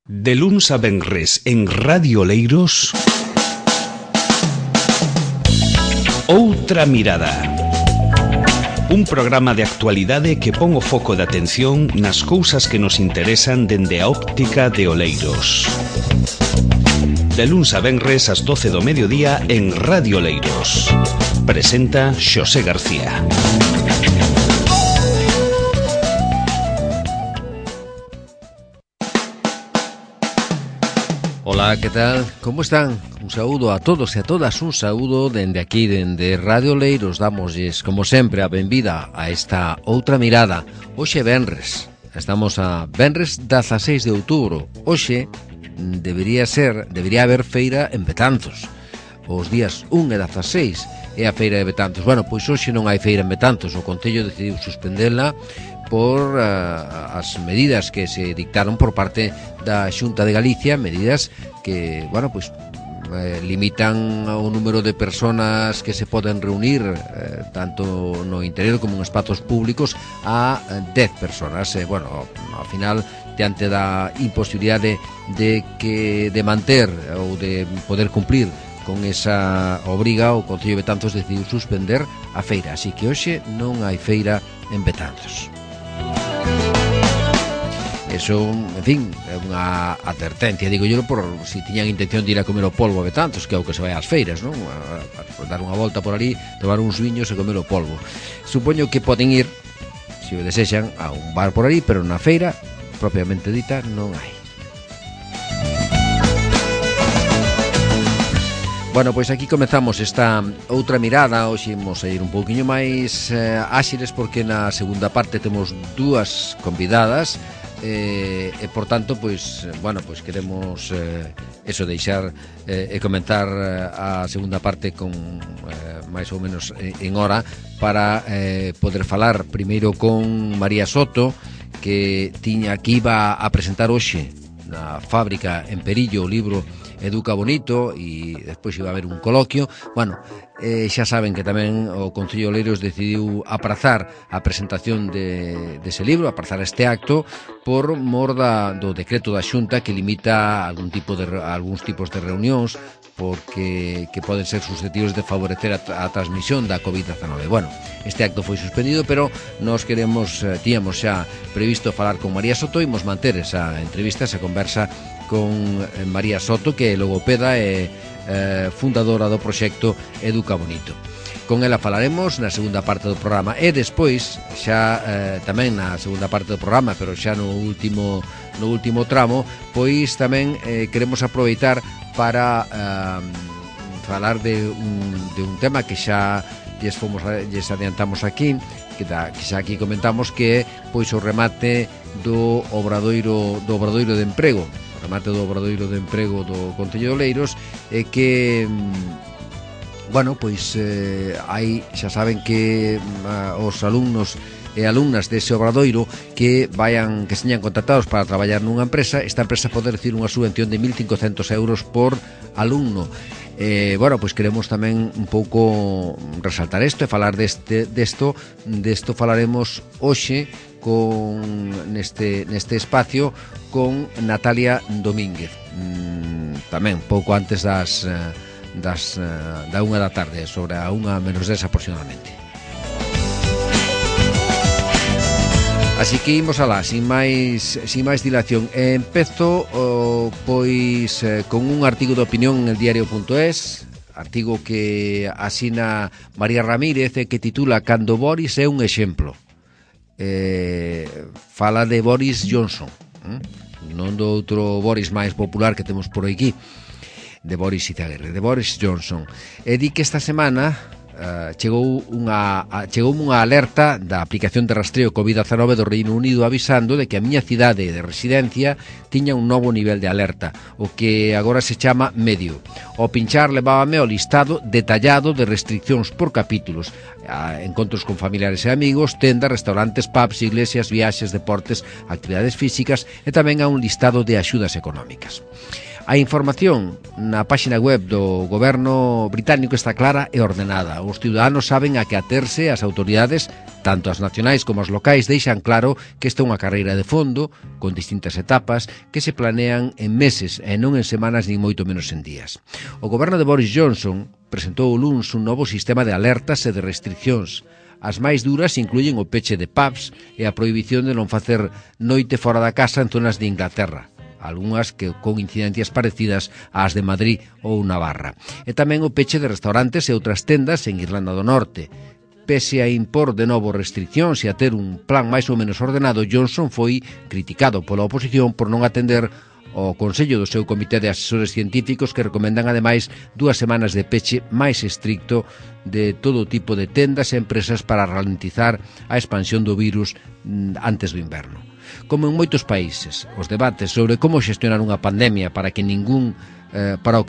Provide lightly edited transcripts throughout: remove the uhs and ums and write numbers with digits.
De luns a venres en Radio Oleiros, Outra Mirada. Un programa de actualidade que pon o foco de atención nas cousas que nos interesan dende a óptica de Oleiros. De luns a venres ás 12 do mediodía en Radio Oleiros. Presenta Xosé García. Ola, que tal? Como están? Un saúdo a todos e a todas, un saúdo dende aquí, dende Radio Oleiros. Damosles, como sempre, a benvida a esta Outra Mirada. Hoxe venres, estamos a venres 16 de outubro. Hoxe debería haber feira en Betanzos. Os días 1 e 16 é a feira de Betanzos. Bueno, pois hoxe non hai feira en Betanzos. O Concello decidiu suspendela por as medidas que se dictaron por parte da Xunta de Galicia, medidas que, bueno, pues limitan o número de personas que se poden reunir tanto no interior como en espazos públicos a 10 personas. Bueno, ao final, diante da imposibilidade de manter ou de poder cumplir con esa obriga, o Concello de Betanzos decidiu suspender a feira, así que hoxe non hai feira en Betanzos. Eso, en fin, é unha advertencia, digo yo, por si tiñan intención de ir a comer o polvo a Betanzos, que é o que se vai ás feiras, non? A dar unha volta por ali, tomar uns viños e comer o polvo. Supoño que poden ir, se o desexan, a un bar por ali, pero na feira, propiamente dita, non hai. Bueno, pois aquí comezamos esta outra mirada. Hoxe imos a ir un pouquiño máis áxiles porque na segunda parte temos dúas convidadas e por tanto, pois, bueno, pois queremos eso, deixar e comentar a segunda parte con máis ou menos en hora para poder falar primeiro con María Soto, que iba a presentar hoxe na fábrica en Perillo o libro Educa Bonito, e despois iba a haber un coloquio. Bueno, xa saben que tamén o Concello de Oleiros decidiu aprazar a presentación dese libro, aprazar este acto por mor do decreto da Xunta que limita algúns tipos de reunións porque que poden ser susceptibles de favorecer a transmisión da COVID-19. Bueno, este acto foi suspendido, pero nós tíamos xa previsto falar con María Soto, e imos manter esa entrevista, esa conversa con María Soto, que é logopeda e fundadora do proxecto Educa Bonito. Con ela falaremos na segunda parte do programa, e despois, xa tamén na segunda parte do programa, pero xa no último tramo, pois tamén queremos aproveitar para falar de un tema que xa lles adiantamos aquí, que xa aquí comentamos, que é pois o remate do obradoiro de emprego, o remate do obradoiro de emprego do Concello de Oleiros, e que bueno, pois hai, xa saben que os alumnos e alumnas dese obradoiro que señan contratados para traballar nunha empresa, esta empresa pode recibir unha subvención de 1.500 euros por alumno. Bueno, pois queremos tamén un pouco resaltar isto e falar desto falaremos hoxe neste espacio con Natalia Domínguez, tamén pouco antes da 1 da tarde, sobre a 1:10 aproximadamente. Así que imos alá, sin máis dilación. Empezo pois con un artigo de opinión en el diario.es, artigo que asina María Ramírez e que titula "Cando Boris é un exemplo". Fala de Boris Johnson, non do outro Boris máis popular que temos por aquí, de Boris Izaguirre, de Boris Johnson. E di que esta semana chegou unha alerta da aplicación de rastreo COVID-19 do Reino Unido avisando de que a miña cidade de residencia tiña un novo nivel de alerta, o que agora se chama medio. O pinchar levábame ao listado detallado de restriccións por capítulos, encontros con familiares e amigos, tendas, restaurantes, pubs, iglesias, viaxes, deportes, actividades físicas, e tamén a un listado de axudas económicas. A información na páxina web do goberno británico está clara e ordenada. Os ciudadanos saben a que aterse, as autoridades, tanto as nacionais como as locais, deixan claro que esta é unha carreira de fondo, con distintas etapas, que se planean en meses e non en semanas nin moito menos en días. O goberno de Boris Johnson presentou o luns un novo sistema de alertas e de restriccións. As máis duras incluyen o peche de pubs e a prohibición de non facer noite fora da casa en zonas de Inglaterra, algunhas que con incidencias parecidas ás de Madrid ou Navarra. E tamén o peche de restaurantes e outras tendas en Irlanda do Norte. Pese a impor de novo restriccións e a ter un plan máis ou menos ordenado, Johnson foi criticado pola oposición por non atender o Consello do seu Comité de Asesores Científicos, que recomendan ademais 2 semanas de peche máis estricto de todo tipo de tendas e empresas para ralentizar a expansión do virus antes do inverno. Como en moitos países, os debates sobre como xestionar unha pandemia para o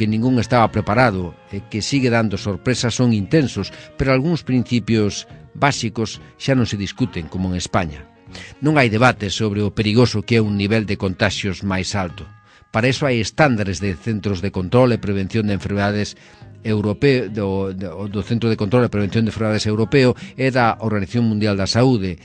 que ningún estaba preparado e que sigue dando sorpresas son intensos, pero algúns principios básicos xa non se discuten, como en España. Non hai debate sobre o perigoso que é un nivel de contaxios máis alto. Para iso hai estándares de Centros de Control e Prevención de Enfermedades Europeo, do Centro de Control e Prevención de Enfermedades Europeo e da Organización Mundial da Saúde.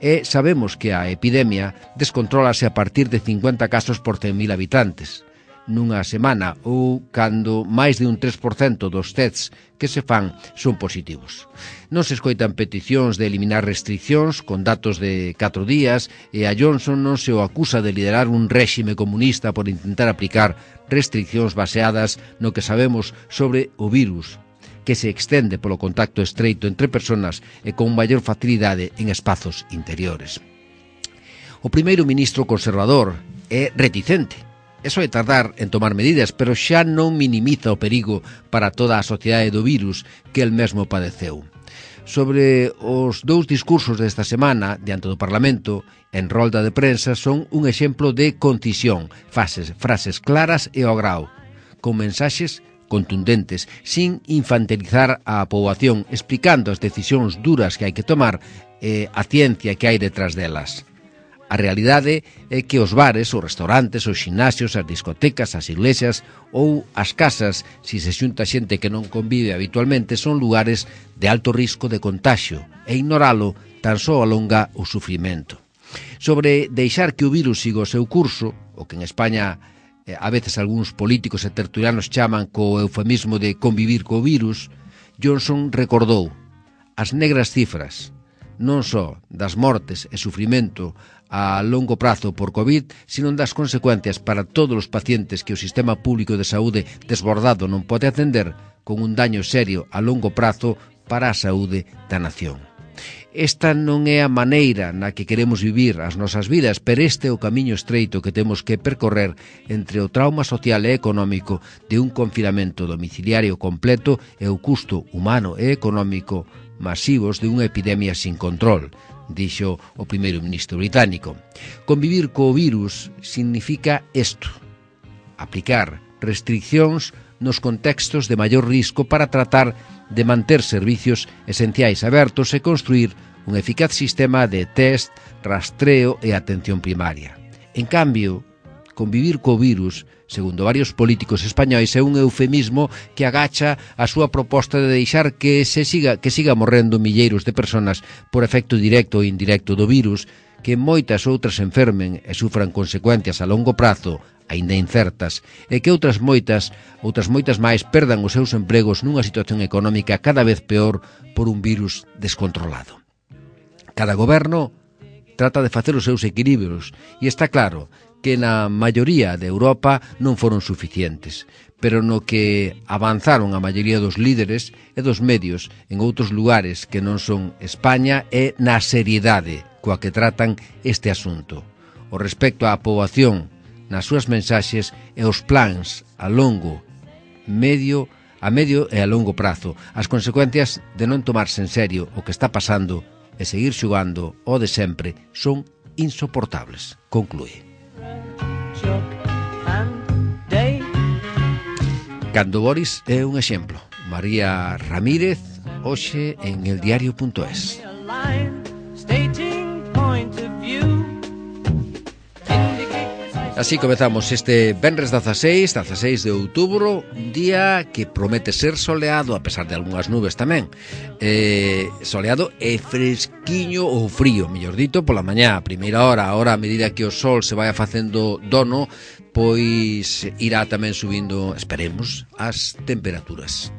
E sabemos que a epidemia descontrólase a partir de 50 casos por 100.000 habitantes nunha semana ou cando máis de un 3% dos tests que se fan son positivos. Non se escoitan peticións de eliminar restriccións con datos de 4 días e a Johnson non se o acusa de liderar un réxime comunista por intentar aplicar restriccións baseadas no que sabemos sobre o virus, que se extende polo contacto estreito entre persoas e con maior facilidade en espazos interiores. O primeiro ministro conservador é reticente. Eso é tardar en tomar medidas, pero xa non minimiza o perigo para toda a sociedade do virus que el mesmo padeceu. Sobre os 2 discursos desta semana, diante do Parlamento, en rolda de prensa, son un exemplo de concisión, frases claras e ao grao, con mensaxes contundentes, sin infantilizar a poboación, explicando as decisións duras que hai que tomar e a ciencia que hai detrás delas. A realidade é que os bares, os restaurantes, os ximnasios, as discotecas, as iglesias ou as casas, se se xunta xente que non convive habitualmente, son lugares de alto risco de contagio e ignoralo tan só alonga o sufrimento. Sobre deixar que o virus siga o seu curso, o que en España a veces algúns políticos e tertulianos chaman co eufemismo de convivir co virus, Johnson recordou as negras cifras, non só das mortes e sufrimento a longo prazo por COVID, sino das consecuencias para todos os pacientes que o sistema público de saúde desbordado non pode atender, con un daño serio a longo prazo para a saúde da nación. Esta non é a maneira na que queremos vivir as nosas vidas, pero este é o camiño estreito que temos que percorrer entre o trauma social e económico de un confinamento domiciliario completo e o custo humano e económico masivos de unha epidemia sin control, dixo o primeiro ministro británico. Convivir co virus significa isto: aplicar restriccións nos contextos de maior risco para tratar de manter servicios esenciais abertos e construir un eficaz sistema de test, rastreo e atención primaria. En cambio, convivir co virus, segundo varios políticos españois, é un eufemismo que agacha a súa proposta de deixar que siga morrendo milleiros de persoas por efecto directo ou indirecto do virus, que moitas outras enfermen e sufran consecuencias a longo prazo, aínda incertas, e que outras moitas máis perdan os seus empregos nunha situación económica cada vez peor por un virus descontrolado. Cada goberno trata de facer os seus equilibrios e está claro que na maioría de Europa non foron suficientes, pero no que avanzaron a maioría dos líderes e dos medios en outros lugares que non son España é na seriedade coa que tratan este asunto, o respecto á poboación nas súas mensaxes e os plans a medio e a longo prazo, as consecuencias de non tomarse en serio o que está pasando e seguir xogando o de sempre son insoportables, conclúe. Cando Boris é un exemplo. María Ramírez, hoxe en eldiario.es. Así comezamos este venres 16 de outubro, un día que promete ser soleado, a pesar de algunhas nubes tamén. Soleado e fresquiño ou frío, mellor dito, pola mañá, a primeira hora. Ahora, a medida que o sol se vai facendo dono, pois irá tamén subindo, esperemos, as temperaturas.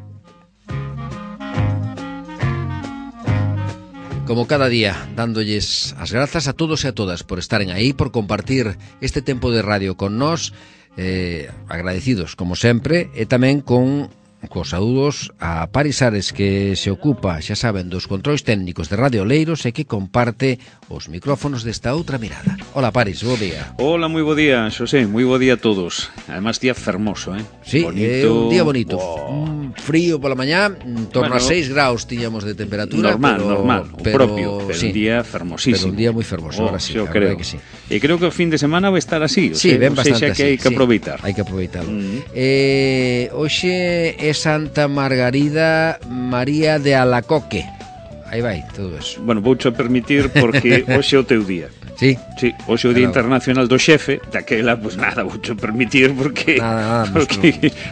Como cada día, dándolles as grazas a todos e a todas por estaren aí, por compartir este tempo de radio con nós, agradecidos, como sempre, e tamén con cos saúdos a Paris Ares, que se ocupa, xa saben, dos controis técnicos de Radio Oleiros e que comparte os micrófonos desta outra mirada. Hola, Paris, bo día. Hola, moi bo día, Xosé, moi bo día a todos. Además, día fermoso, Sí, bonito. Un día bonito. Frío pola mañá, torno a 6 graus tiñamos de temperatura. Normal, o propio, pero sí, un día fermosísimo. Pero un día moi fermoso, ahora sí, yo creo que sí. E creo que o fin de semana vai estar así, sí, ben bastante que hai que aproveitar. Hai que aproveitarlo. Hoxe é Santa Margarida María de Alacoque. Aí vai, todo eso. Bueno, voucho permitir porque hoxe é o teu día. Sí? Sí, hoxe é o Día Internacional do Xefe, daquela, pues nada, voucho permitir porque a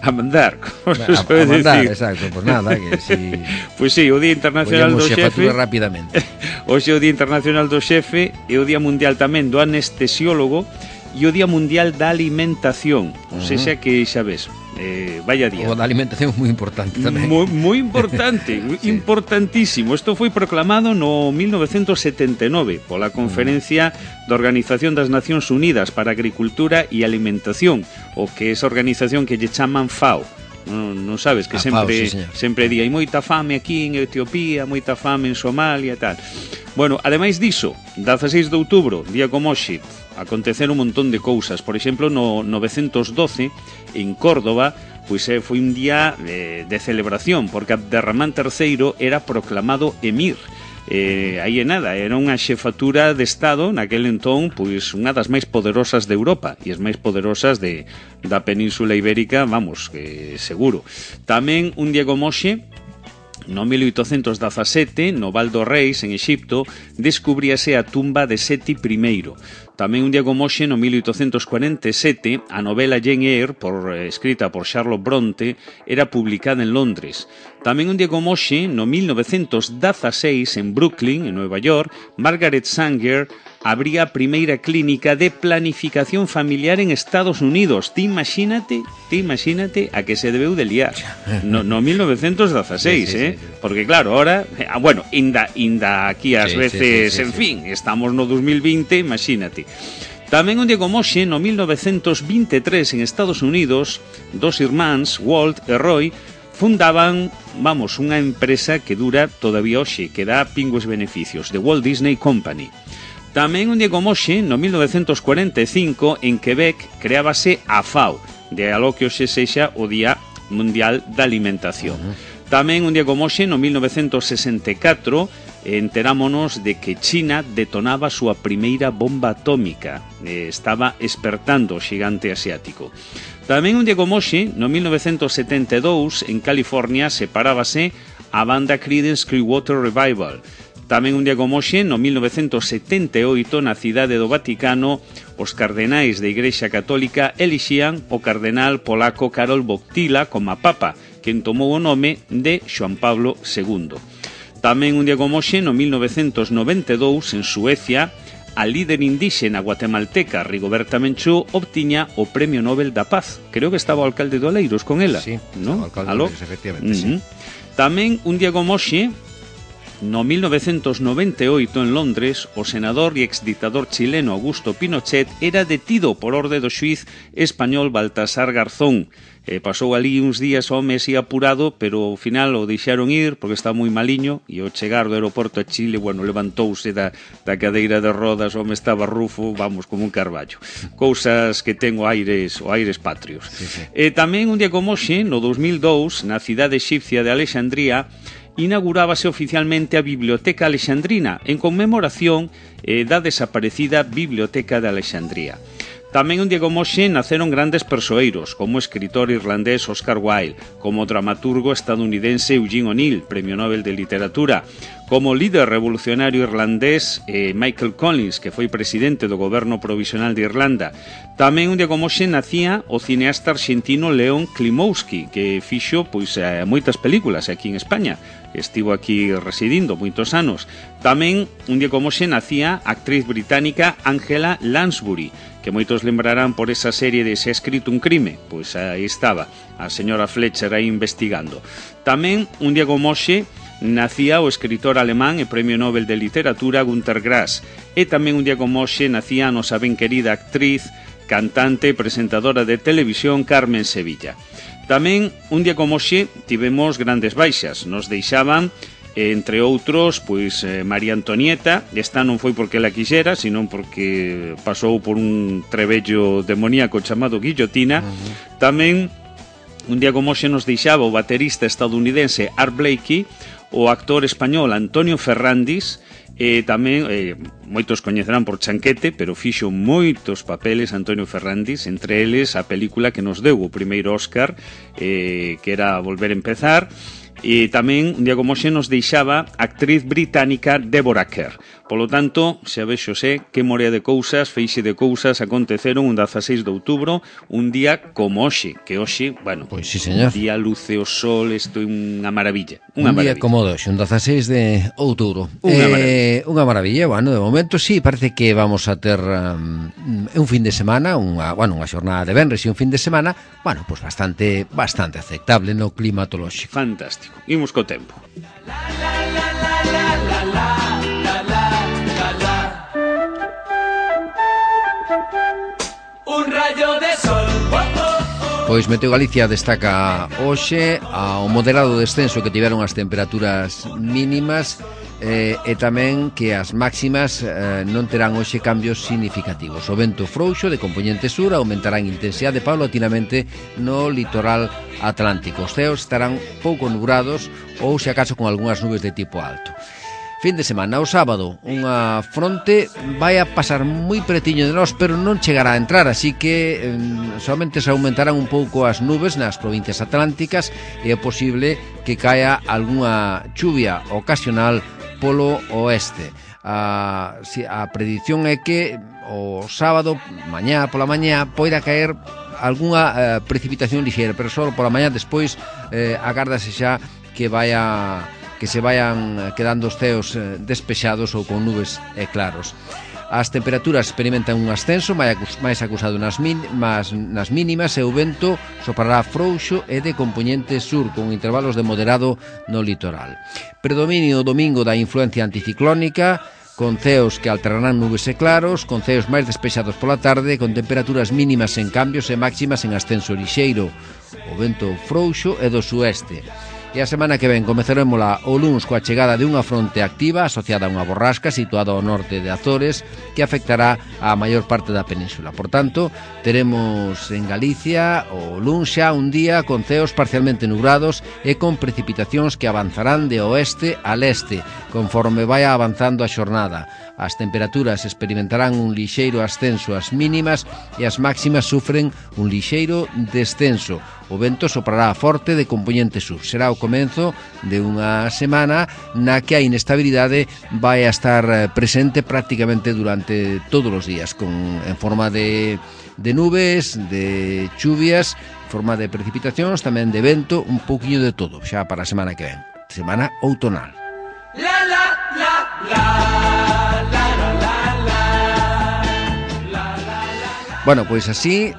mandar. A mandar, exacto, pues nada, que si... Pues sí, o Día Internacional do Xefe rapidamente. Hoxe é o Día Internacional do Xefe e o Día Mundial tamén do Anestesiólogo e o Día Mundial da Alimentación. O sea que xa ves, vaya día. O da alimentación é moi importante tamén. Moi importante, sí. Importantísimo. Isto foi proclamado no 1979 pola Conferencia da Organización das Nacións Unidas para a Agricultura e Alimentación, o que é esa organización que lle chaman FAO. Non sabes que sempre di hai moita fame aquí en Etiopía, moita fame en Somalia e tal. Bueno, ademais diso, 16 de outubro, día como hoxe, aconteceron un montón de cousas. Por exemplo, no 912, en Córdoba, pois foi un día de celebración, porque Abderramán III era proclamado emir. Aí é nada, era unha xefatura de Estado naquel entón, pois unha das máis poderosas de Europa e as máis poderosas da Península Ibérica, vamos, que seguro. Tamén un día como hoxe, no 1817, no Val do Reis, en Exipto, descubríase a tumba de Seti I. Tamén un día como hoxe, no 1847, a novela Jane Eyre, escrita por Charlotte Bronte, era publicada en Londres. Tamén un día como hoxe, no 1916, en Brooklyn, en Nueva York, Margaret Sanger abría a primeira clínica de planificación familiar en Estados Unidos. Ti imagínate a que se debeu de liar no 1916, sí. Porque claro, ahora, bueno, inda aquí ás veces, en fin, estamos no 2020, imagínate. Tamén un día como hoxe, no 1923, en Estados Unidos, dos irmáns, Walt e Roy, fundaban, unha empresa que dura todavía hoxe, que dá pingües beneficios, The Walt Disney Company. Tamén un día como hoxe, no 1945, en Quebec, creábase a FAO, de algo que hoxe sexa o Día Mundial da Alimentación. Tamén un día como hoxe, no 1964, enterámonos de que China detonaba a súa primeira bomba atómica. Estaba espertando o xigante asiático. Tamén un día como hoxe, no 1972, en California, separábase a banda Creedence Clearwater Revival. Tamén un día como hoxe, no 1978, na cidade do Vaticano, os cardenais da Igrexa Católica elixían o cardenal polaco Karol Wojtyła como papa, quen tomou o nome de Xoán Pablo II. Tamén un día como hoxe, no 1992, en Suecia, a líder indíxena guatemalteca Rigoberta Menchú obtiña o Premio Nobel da Paz. Creo que estaba o alcalde de Oleiros con ela, sí, ¿no? O alcalde de Oleiros, efectivamente, sí. Tamén un día como hoxe, no 1998, en Londres, o senador e exdictador chileno Augusto Pinochet era detido por orde do xuiz español Baltasar Garzón. Pasou ali uns días ao mes e apurado, pero ao final o deixaron ir porque está moi maliño e ao chegar do aeroporto a Chile, bueno, levantouse da cadeira de rodas, o home estaba rufo, vamos, como un carballo. Cousas que ten o aires patrios. Sí. Tamén un día como hoxe, no 2002, na cidade exipcia de Alexandría, inaugurábase oficialmente a Biblioteca Alexandrina en conmemoración da desaparecida Biblioteca de Alexandría. Tamén un día como hoxe naceron grandes persoeiros, como o escritor irlandés Oscar Wilde, como o dramaturgo estadounidense Eugene O'Neill, Premio Nobel de Literatura, como o líder revolucionario irlandés Michael Collins, que foi presidente do goberno provisional de Irlanda. Tamén un día como hoxe nacía o cineasta argentino León Klimowski, que fixo moitas películas aquí en España. Estivo aquí residindo moitos anos. Tamén un día como hoxe nacía a actriz británica Angela Lansbury, que moitos lembrarán por esa serie de Se ha escrito un crime. Pois aí estaba a señora Fletcher aí investigando. Tamén un día como hoxe nacía o escritor alemán e Premio Nobel de Literatura Günter Grass. E tamén un día como hoxe nacía a nosa ben querida actriz, cantante e presentadora de televisión Carmen Sevilla. Tamén, un día como hoxe, tivemos grandes baixas. Nos deixaban, entre outros, María Antonieta. Esta non foi porque ela quixera, senón porque pasou por un trebello demoníaco chamado guillotina. Tamén, un día como hoxe, nos deixaba o baterista estadounidense Art Blakey, o actor español Antonio Ferrandis, e tamén moitos coñecerán por Chanquete, pero fixo moitos papeles Antonio Ferrandis, entre eles a película que nos deu o primeiro Óscar, que era Volver a Empezar. E tamén, un día como hoxe, nos deixaba a actriz británica Deborah Kerr. Polo tanto, xa vexo que morea de cousas, feixe de cousas aconteceron un 16 de outubro, un día como hoxe, que hoxe, bueno, pois sí, señor. Día luce o sol, isto é unha maravilla. Un día como hoxe, un 16 de outubro. Unha maravilla, bueno, de momento sí, parece que vamos a ter un fin de semana, unha xornada de venres e un fin de semana, bueno, pois bastante aceptable no climatolóxico. Fantástico. Imos co tempo. Un rayo de sol. Pois Meteo Galicia destaca hoxe ao moderado descenso que tiveron as temperaturas mínimas e tamén que as máximas non terán hoxe cambios significativos. O vento frouxo de compoñente sur aumentará en intensidade paulatinamente no litoral atlántico. Os ceos estarán pouco nubrados ou se acaso con algunhas nubes de tipo alto. Fin de semana, o sábado, unha fronte vai a pasar moi pretiño de nós, pero non chegará a entrar, así que solamente se aumentarán un pouco as nubes nas provincias atlánticas e é posible que caia algunha chuvia ocasional polo oeste. A predición é que o sábado, pola mañá, poida caer algunha precipitación lixeira, pero só pola mañá. Despois agárdase xa que se vayan quedando os ceos despexados ou con nubes e claros. As temperaturas experimentan un ascenso máis acusado nas mínimas e o vento soprará frouxo e de compoñente sur con intervalos de moderado no litoral. Predominio o domingo da influencia anticiclónica, con ceos que alternarán nubes e claros, con ceos máis despexados pola tarde, con temperaturas mínimas en cambios e máximas en ascenso lixeiro. O vento frouxo e do sueste. E a semana que ven comezaremosla o luns coa chegada de unha fronte activa asociada a unha borrasca situada ao norte de Azores que afectará a maior parte da península. Por tanto, teremos en Galicia o luns xa un día con ceos parcialmente nubrados e con precipitacións que avanzarán de oeste a leste conforme vai avanzando a xornada. As temperaturas experimentarán un lixeiro ascenso ás mínimas e as máximas sufren un lixeiro descenso. O vento soprará forte de compoñente sur. Será o comenzo de unha semana na que a inestabilidade vai a estar presente prácticamente durante todos os días, en forma de nubes, de chuvias, en forma de precipitacións, tamén de vento, un pouquiño de todo, xa para a semana que ven. Semana outonal. La la la la. Bueno, pois así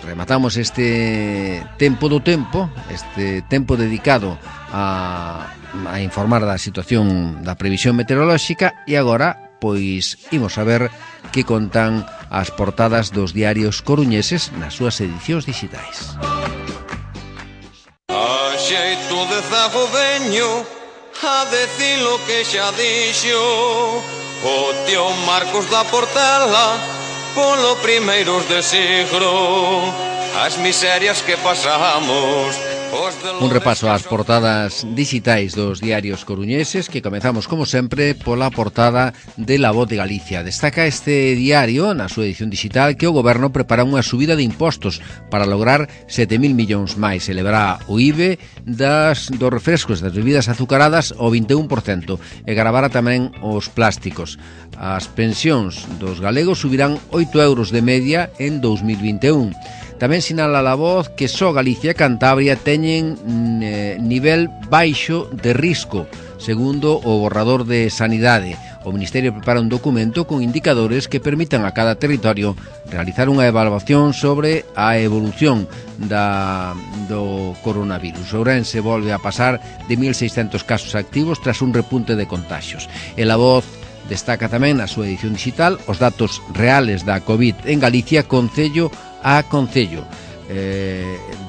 rematamos este tempo do tempo, este tempo dedicado a informar da situación da previsión meteorolóxica e agora, pois, imos a ver que contan as portadas dos diarios coruñeses nas súas edicións digitais. A xeito de zagodeño, a decir lo que xa dixo o tío Marcos da Portela polo primeiros de siglo. As miserias que pasamos Un repaso ás portadas digitais dos diarios coruñeses, que comezamos, como sempre, pola portada de La Voz de Galicia. Destaca este diario, na súa edición digital, que o goberno prepara unha subida de impostos para lograr 7.000 millóns máis. Elevará o IVE dos refrescos, das bebidas azucaradas, ao 21%, e gravará tamén os plásticos. As pensións dos galegos subirán 8 euros de media en 2021. Tamén sinala La Voz que só Galicia e Cantabria teñen nivel baixo de risco, segundo o borrador de Sanidade. O Ministerio prepara un documento con indicadores que permitan a cada territorio realizar unha evaluación sobre a evolución do coronavirus. Ourense volve a pasar de 1.600 casos activos tras un repunte de contagios. E La Voz destaca tamén na súa edición digital os datos reales da COVID en Galicia, concello a concello,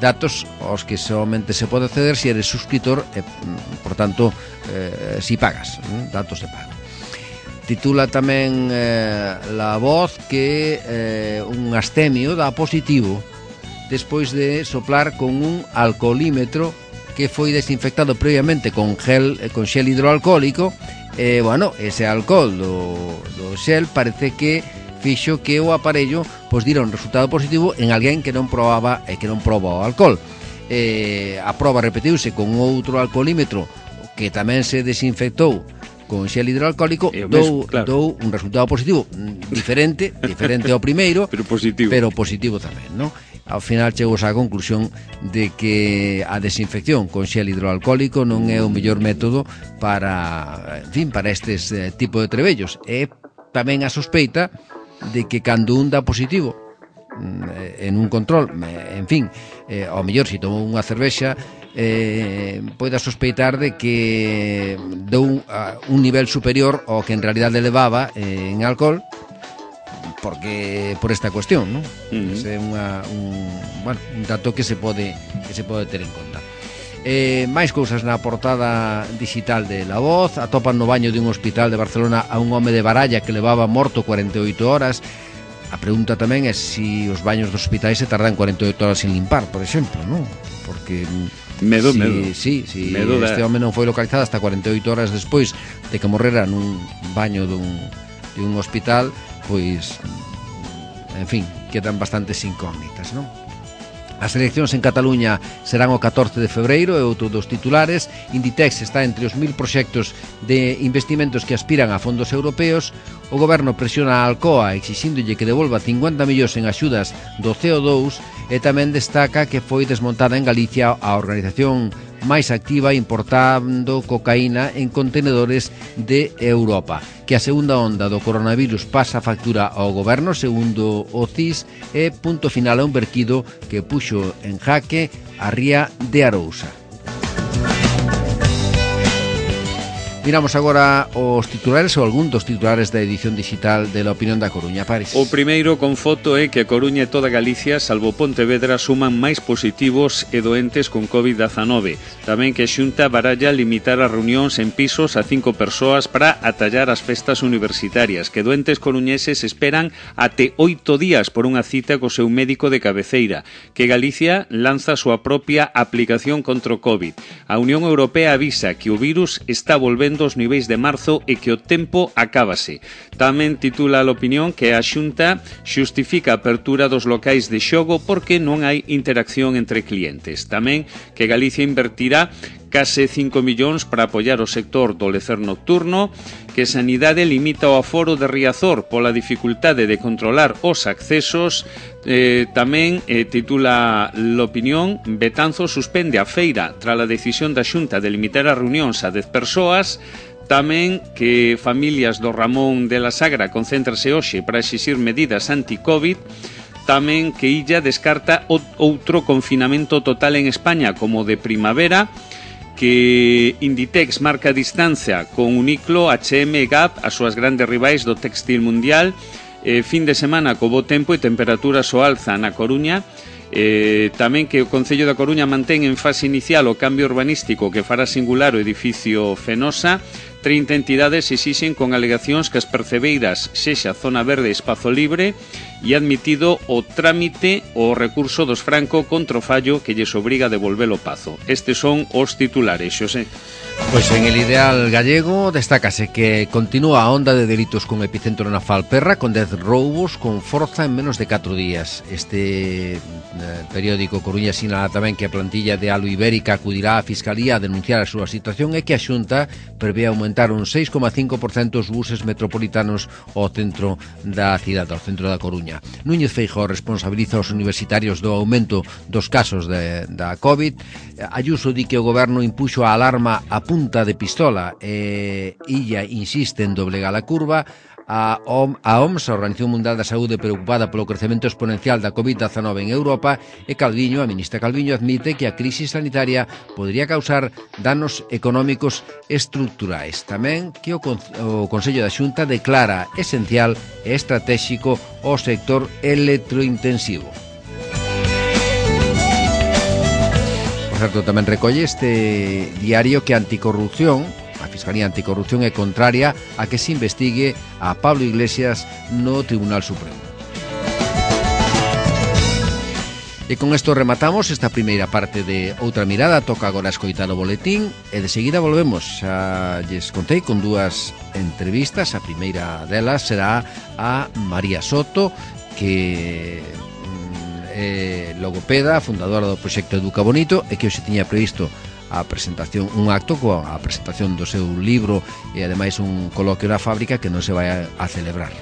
datos aos que somente se pode acceder se eres suscritor e, por tanto, si pagas, datos de pago. Titula tamén La Voz que un astemio dá positivo despois de soplar con un alcoholímetro que foi desinfectado previamente con xel hidroalcohólico. Bueno, ese alcohol do xel parece que fixo que o aparello dira un resultado positivo en alguén que non probaba e que non proba o alcohol. A proba repetiuse con outro alcoholímetro que tamén se desinfectou con xel hidroalcohólico, dou un resultado positivo diferente ao primeiro, pero positivo tamén, non? Ao final chegou á conclusión de que a desinfección con xel hidroalcohólico non é o mellor método para estes tipo de trebellos. E tamén a sospeita de que cando un dá positivo en un control, ao mellor se tomou unha cervexa, poida sospeitar de que dou un nivel superior ao que en realidade levaba en alcohol, porque por esta cuestión, non? É un dato que se pode ter en conta. Máis cousas na portada digital de La Voz. Atopan no baño dun hospital de Barcelona a un home de Baralla que levaba morto 48 horas. A pregunta tamén é se os baños dos hospitais se tardan 48 horas en limpar, por exemplo, non? Porque medo. Si este home non foi localizado hasta 48 horas despois de que morrera nun baño dun hospital, pois, en fin, quedan bastantes incógnitas, non? As eleccións en Cataluña serán o 14 de febreiro, é outro dos titulares. Inditex está entre os 1000 proxectos de investimentos que aspiran a fondos europeos. O goberno presiona a Alcoa exixíndolle que devolva 50 millóns en axudas do CO2 e tamén destaca que foi desmontada en Galicia a organización máis activa importando cocaína en contenedores de Europa. Que a segunda onda do coronavirus pasa a factura ao goberno, segundo o CIS, e punto final a un verquido que puxo en jaque a ría de Arousa. Miramos agora os titulares ou algún dos titulares da edición digital de La Opinión da Coruña. Paris. O primeiro con foto é que a Coruña e toda Galicia, salvo Pontevedra, suman máis positivos e doentes con COVID-19. Tamén que a Xunta baralla limitar as reunións en pisos a 5 persoas para atallar as festas universitarias, que doentes coruñeses esperan até 8 días por unha cita co seu médico de cabeceira, que Galicia lanza a súa propia aplicación contra o COVID. A Unión Europea avisa que o virus está volvendo os niveis de marzo e que o tempo acábase. Tamén titula a Opinión que a Xunta xustifica a apertura dos locais de xogo porque non hai interacción entre clientes. Tamén que Galicia invertirá case 5 millóns para apoiar o sector do lecer nocturno, que Sanidade limita o aforo de Riazor pola dificultade de controlar os accesos. Tamén titula L'Opinión, Betanzos suspende a feira tras a decisión da Xunta de limitar as reunións a 10 persoas. Tamén que familias do Ramón de la Sagra concéntrase hoxe para exixir medidas anti-Covid. Tamén que Illa descarta outro confinamento total en España como de primavera, que Inditex marca distancia con Uniqlo, H&M e Gap, as súas grandes rivais do textil mundial. Fin de semana co bo tempo e temperaturas ao alza na Coruña. Tamén que o Concello da Coruña mantén en fase inicial o cambio urbanístico que fará singular o edificio Fenosa. 30 entidades exixen con alegacións que as percebeiras sexa zona verde e espazo libre. e admitido o trámite o recurso dos Franco contra o fallo que lles obriga a devolver o Pazo. Estes son os titulares, Xosé. Pois en el ideal gallego destácase que continúa a onda de delitos con epicentro na Falperra, con 10 roubos con forza en menos de 4 días. Este periódico Coruña sinala tamén que a plantilla de Alu Ibérica acudirá á Fiscalía a denunciar a súa situación e que a Xunta prevé aumentar un 6,5% os buses metropolitanos ao centro da cidade, ao centro da Coruña. Núñez Feijóo responsabiliza os universitarios do aumento dos casos da COVID. Ayuso di que o goberno impuxo a alarma a punta de pistola e illa insiste en doblegar a curva. A OMS, a Organización Mundial da Saúde, preocupada polo crecemento exponencial da COVID-19 en Europa, e Calviño, a ministra Calviño, admite que a crise sanitaria podría causar danos económicos estructurais. Tamén que o Consello da Xunta declara esencial e estratéxico o sector electrointensivo. Por certo, tamén recolle este diario que a Anticorrupción, a Fiscalía Anticorrupción, é contraria a que se investigue a Pablo Iglesias no Tribunal Supremo. E con isto rematamos esta primeira parte de Outra Mirada. Toca agora escoitar o boletín e de seguida volvemos. Xa lles contei con 2 entrevistas. A primeira delas será a María Soto, que logopeda, fundadora do proxecto Educa Bonito, e que hoxe tiña previsto a presentación, un acto coa presentación do seu libro e ademais un coloquio na fábrica que non se vai a celebrar.